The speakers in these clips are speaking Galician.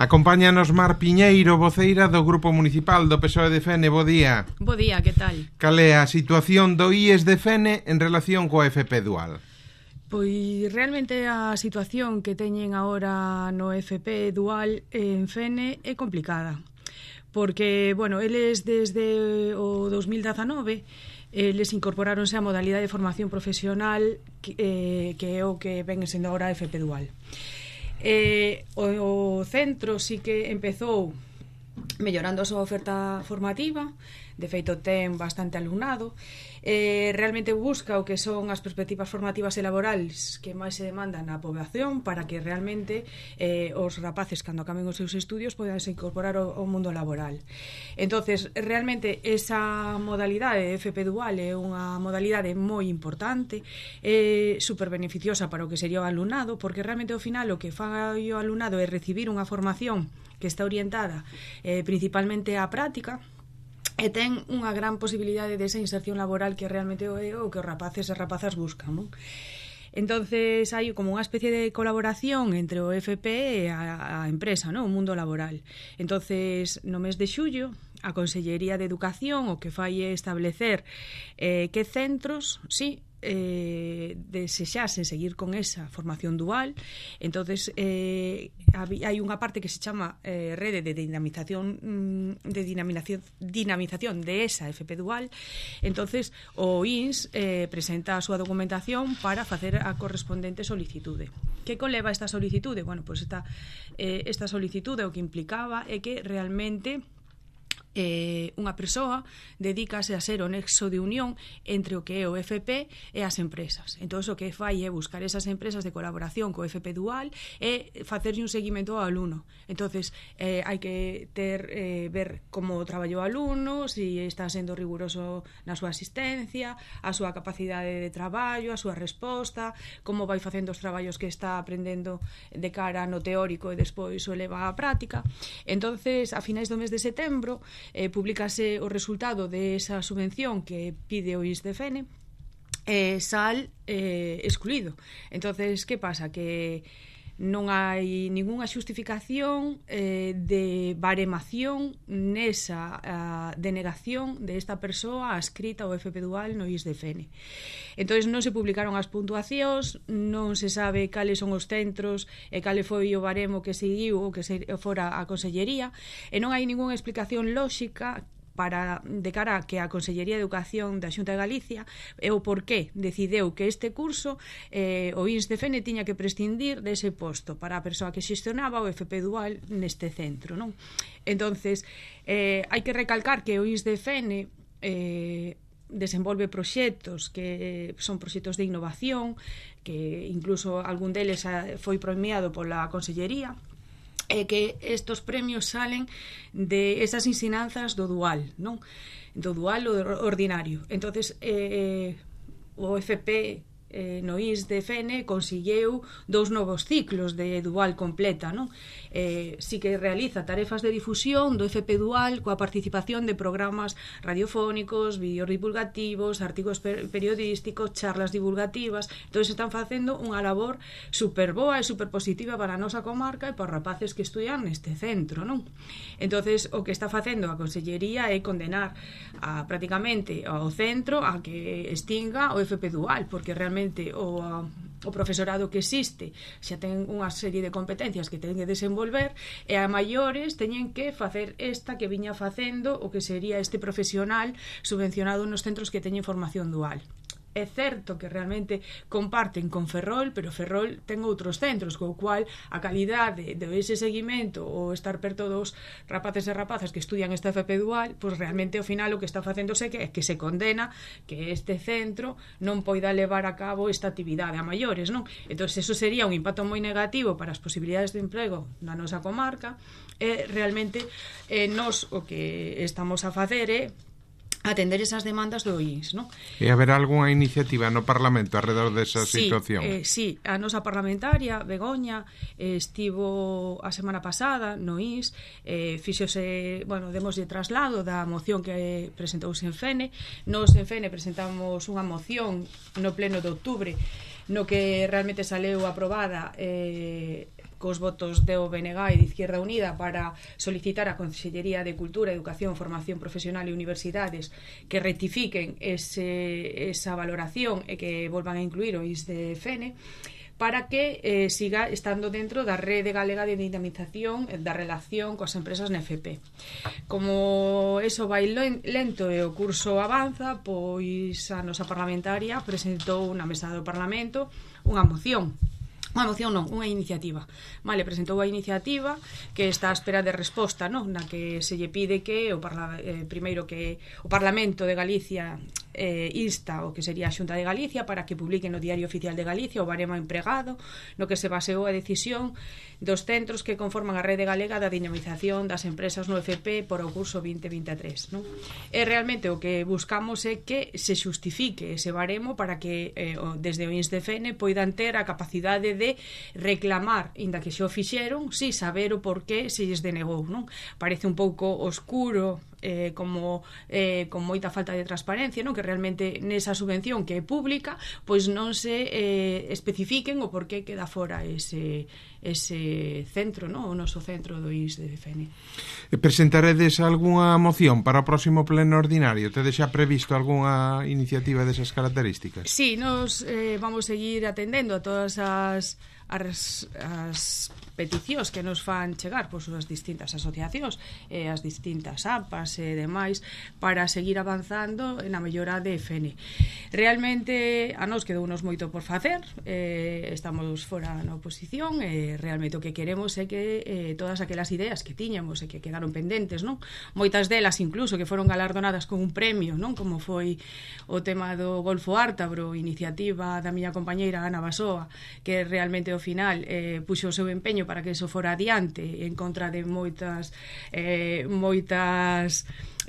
Acompáñanos Mar Piñeiro, voceira do Grupo Municipal do PSOE de Fene. Bo día. Bo día, que tal? Cal é a situación do IES de Fene en relación coa FP Dual? Pois realmente a situación que teñen agora no FP Dual en Fene é complicada. Porque, bueno, eles desde o 2019 eles incorporáronse a modalidade de formación profesional que é o que ven sendo agora a FP Dual. O centro sí que empezou mellorando a súa oferta formativa, de feito ten bastante alumnado, realmente busca o que son as perspectivas formativas e laborales que máis se demandan na poboación para que realmente os rapaces cando acaben os seus estudios podan se incorporar ao mundo laboral. Entonces, realmente esa modalidade de FP Dual é unha modalidade moi importante, super beneficiosa para o que sería o alumnado, porque realmente ao final o que fai o alumnado é recibir unha formación que está orientada principalmente á práctica, e ten unha gran posibilidade de esa inserción laboral que realmente é o que os rapaces e rapazas buscan, non? Entonces hai como unha especie de colaboración entre o FP e a empresa, non? O mundo laboral. Entonces, no mes de xullo, a Consellería de Educación o que fai é establecer que centros, sí, desexase seguir con esa formación dual. Entonces hai unha parte que se chama rede de dinamización de esa FP Dual. Entonces o INS presenta a súa documentación para facer a correspondente solicitude. Que conleva esta solicitude? Bueno, pois esta solicitude o que implicaba é que realmente unha persoa dedícase a ser o nexo de unión entre o que é o FP e as empresas. Entón, o que fai é buscar esas empresas de colaboración co FP Dual e facerlle un seguimento ao alumno. Entonces, hai que ver como traballou o alumno, se está sendo riguroso na súa asistencia, a súa capacidade de traballo, a súa resposta, como vai facendo os traballos que está aprendendo de cara no teórico e despois o eleva á práctica. Entonces, a finais do mes de setembro, publicase o resultado de esa subvención que pide o INS de Fene, sal excluído. Entonces, que pasa? Que non hai ningunha xustificación de baremación nesa denegación desta persoa adscrita ao FP Dual no IS de Fene. Entón, non se publicaron as puntuacións, non se sabe cales son os centros e cale foi o baremo que seguiu ou que fora a Consellería, e non hai ningunha explicación lóxica de cara a que a Consellería de Educación da Xunta de Galicia é o porqué decideu que este curso o INS de Fene tiña que prescindir dese posto para a persoa que xestionaba o FP Dual neste centro, non? Entonces, hai que recalcar que o INS de Fene desenvolve proxectos que son proxectos de innovación, que incluso algún deles foi premiado pola Consellería, e que estos premios salen de esas ensinanzas do dual, non? Do dual ou do ordinario. Entonces, o FP no IS de Fene consigueu 2 novos ciclos de dual completa, non? Si que realiza tarefas de difusión do FP Dual coa participación de programas radiofónicos, vídeos divulgativos, artigos periodísticos, charlas divulgativas. Entón, están facendo unha labor super boa e super positiva para a nosa comarca e para os rapaces que estudian neste centro, non? Entón, o que está facendo a Consellería é condenar prácticamente ao centro a que extinga o FP Dual, porque realmente o profesorado que existe xa ten unha serie de competencias que ten que desenvolver, e a maiores teñen que facer esta que viña facendo o que sería este profesional subvencionado nos centros que teñen formación dual. É certo que realmente comparten con Ferrol, pero Ferrol ten outros centros, co cual a calidade de ese seguimento ou estar perto dos rapaces e rapazas que estudian esta FP Dual, pois realmente ao final o que está facéndose é que se condena que este centro non poida levar a cabo esta actividade a maiores, non? Entón, eso sería un impacto moi negativo para as posibilidades de emprego na nosa comarca, e realmente nós o que estamos a facer é atender esas demandas do INS, non? E haberá algunha iniciativa no Parlamento alrededor desa situación? Sí, a nosa parlamentaria, Begoña, estivo a semana pasada no INS, fixose, demoslle traslado da moción que presentouse en Fene. Nos en Fene presentamos unha moción no pleno de outubro, no que realmente saleu aprobada cos votos do BNG e de Izquierda Unida para solicitar a Consellería de Cultura, Educación, Formación Profesional e Universidades que rectifiquen esa valoración e que volvan a incluir o ISDFN para que siga estando dentro da rede galega de dinamización da relación coas empresas na FP. Como eso vai lento e o curso avanza, pois a nosa parlamentaria presentou na mesa do Parlamento unha moción non, unha iniciativa. Vale, presentou a iniciativa que está á espera de resposta, non? Na que se lle pide que primeiro que o Parlamento de Galicia insta o que sería a Xunta de Galicia para que publique no Diario Oficial de Galicia o baremo empregado no que se baseou a decisión dos centros que conforman a rede galega da dinamización das empresas no FP por o curso 2023, non? E realmente o que buscamos é que se xustifique ese baremo para que desde o INSDFN poidan ter a capacidade de reclamar, inda que xa o fixeron, si saber o porqué se lles denegou, non? Parece un pouco oscuro como con moita falta de transparencia, non? Que realmente nesa subvención que é pública pois non se especifiquen o porqué queda fora ese centro, non? O noso centro do ISDFN. Presentaredes algunha moción para o próximo pleno ordinario? Tedes xa previsto algunha iniciativa desas características? Sí, nos vamos seguir atendendo a todas as peticións que nos fan chegar pois as distintas asociacións e as distintas APAs e demais para seguir avanzando na mellora de FN. Realmente a nos quedounos moito por facer, estamos fora na oposición e realmente o que queremos é que todas aquelas ideas que tiñamos e que quedaron pendentes, non? Moitas delas incluso que foron galardonadas con un premio, non? Como foi o tema do Golfo Ártabro, iniciativa da miña compañeira Ana Basoa, que realmente ao final puxo o seu empeño para que eso fora adiante en contra de moitas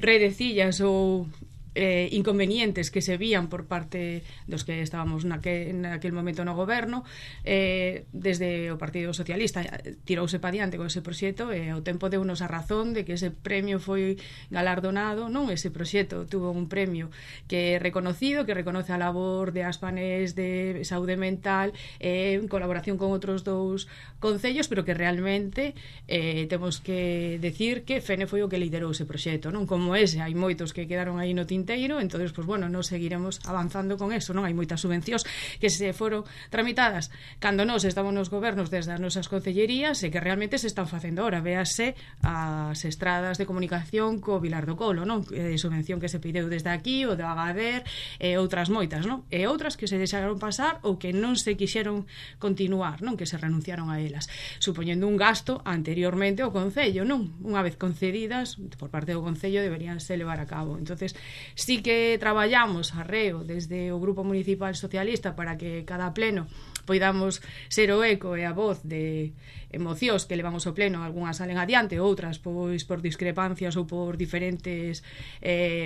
redecillas ou inconvenientes que se vían por parte dos que estábamos naquel momento no goberno. Desde o Partido Socialista tirouse pa diante con ese proxecto e ao tempo deunos a razón de que ese premio foi galardonado, non? Ese proxecto tuvo un premio que é reconocido, que reconoce a labor de Aspanes de saúde mental en colaboración con outros dous concellos, pero que realmente temos que decir que FENE foi o que liderou ese proxecto, non? Como ese, hai moitos que quedaron aí no tinteiro, entonces, pues bueno, nos seguiremos avanzando con eso, non? Hai moitas subvencións que se foron tramitadas cando nós estamos nos gobernos desde as nosas concellerías e que realmente se están facendo ahora. Véase as estradas de comunicación co Vilar do Colo, non? Subvención que se pideu desde aquí, o do Agader e outras moitas, non? E outras que se deixaron pasar ou que non se quixeron continuar, non? Que se renunciaron a elas, supoñendo un gasto anteriormente ao Concello, non? Unha vez concedidas por parte do Concello deberíanse levar a cabo. Entonces, sí que traballamos arreo desde o Grupo Municipal Socialista para que cada pleno poidamos ser o eco e a voz de emocións que levamos ao pleno, algunhas salen adiante, outras pois por discrepancias ou por diferentes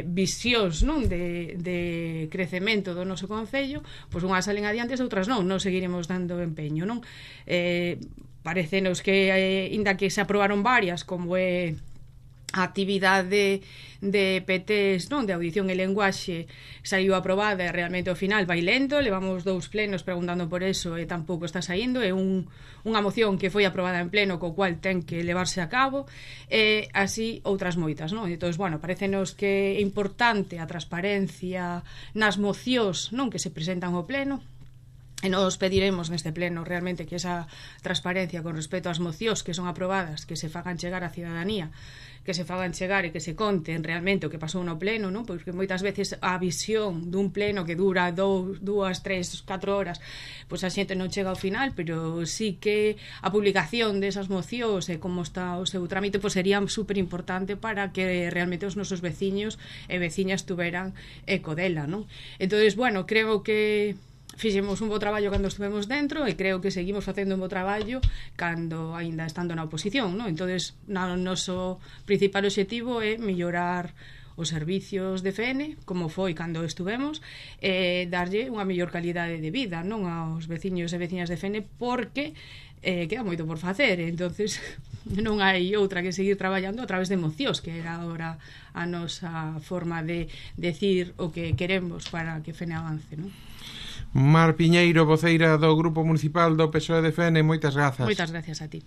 visións, non? De crecemento do noso concello, pois unhas salen adiante e outras non, non seguiremos dando empeño, non? Parecenos que inda que se aprobaron varias, como é a actividade de PTs, non, de audición e lenguaxe, saiu aprobada e realmente ao final vai lento, levamos 2 plenos preguntando por eso e tampouco está saindo, é unha moción que foi aprobada en pleno co cual ten que levarse a cabo e así outras moitas, non? Entón, bueno, parecenos que é importante a transparencia nas mocións, non, que se presentan ao pleno. E nos pediremos neste pleno realmente que esa transparencia con respecto ás mocións que son aprobadas, que se fagan chegar á cidadanía, que se fagan chegar e que se conten realmente o que pasou no pleno, non? Porque moitas veces a visión dun pleno que dura 2, 3, 4 horas, pois a xente non chega ao final, pero sí que a publicación desas mocións e como está o seu trámite pois sería super importante para que realmente os nosos veciños e veciñas tuveran eco dela, non? Entonces, bueno, creo que fixemos un bo traballo cando estivemos dentro e creo que seguimos facendo un bo traballo cando aínda estando na oposición, non? Entonces, o noso principal obxectivo é mellorar os servicios de FN, como foi cando estuvemos, darlle unha mellor calidade de vida, non, aos veciños e veciñas de FN, porque queda moito por facer, entonces non hai outra que seguir traballando a través de mocións, que era agora a nosa forma de decir o que queremos para que FN avance, non? Mar Piñeiro, voceira do Grupo Municipal do PSOE de Fene, moitas grazas. Moitas gracias a ti.